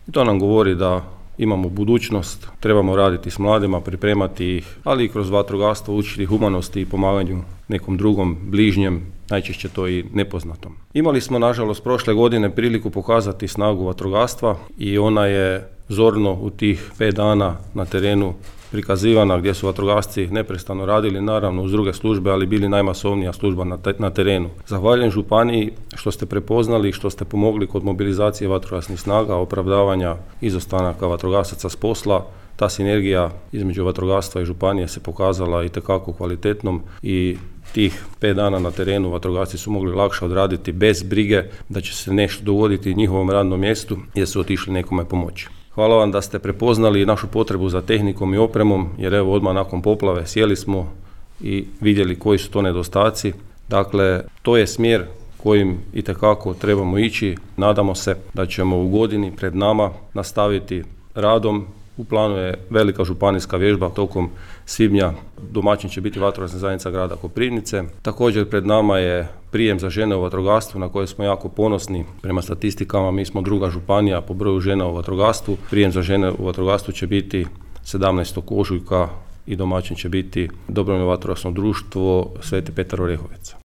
I to nam govori da imamo budućnost, trebamo raditi s mladima, pripremati ih, ali i kroz vatrogastvo učiti humanosti i pomaganju nekom drugom, bližnjem, najčešće to i nepoznatom. Imali smo, nažalost, prošle godine priliku pokazati snagu vatrogastva i ona je zorno u tih 5 dana na terenu prikazivana, gdje su vatrogasci neprestano radili, naravno uz druge službe, ali bili najmasovnija služba na terenu. Zahvaljujem županiji što ste prepoznali i što ste pomogli kod mobilizacije vatrogasnih snaga, opravdavanja izostanaka vatrogasaca s posla. Ta sinergija između vatrogastva i županije se pokazala itekako kvalitetnom i tih 5 dana na terenu vatrogasci su mogli lakše odraditi bez brige da će se nešto dogoditi njihovom radnom mjestu jer su otišli nekome pomoći. Hvala vam da ste prepoznali našu potrebu za tehnikom i opremom, jer evo odmah nakon poplave sjeli smo i vidjeli koji su to nedostaci. Dakle, to je smjer kojim itekako trebamo ići. Nadamo se da ćemo u godini pred nama nastaviti radom. U planu je velika županijska vježba tokom svibnja. Domaćin će biti vatrogasna zajednica grada Koprivnice. Također pred nama je prijem za žene u vatrogastvu na koje smo jako ponosni. Prema statistikama mi smo 2. županija po broju žena u vatrogastvu. Prijem za žene u vatrogastvu će biti 17. ožujka i domaćin će biti Dobrovoljno vatrogasno društvo Sveti Petar Orehovec.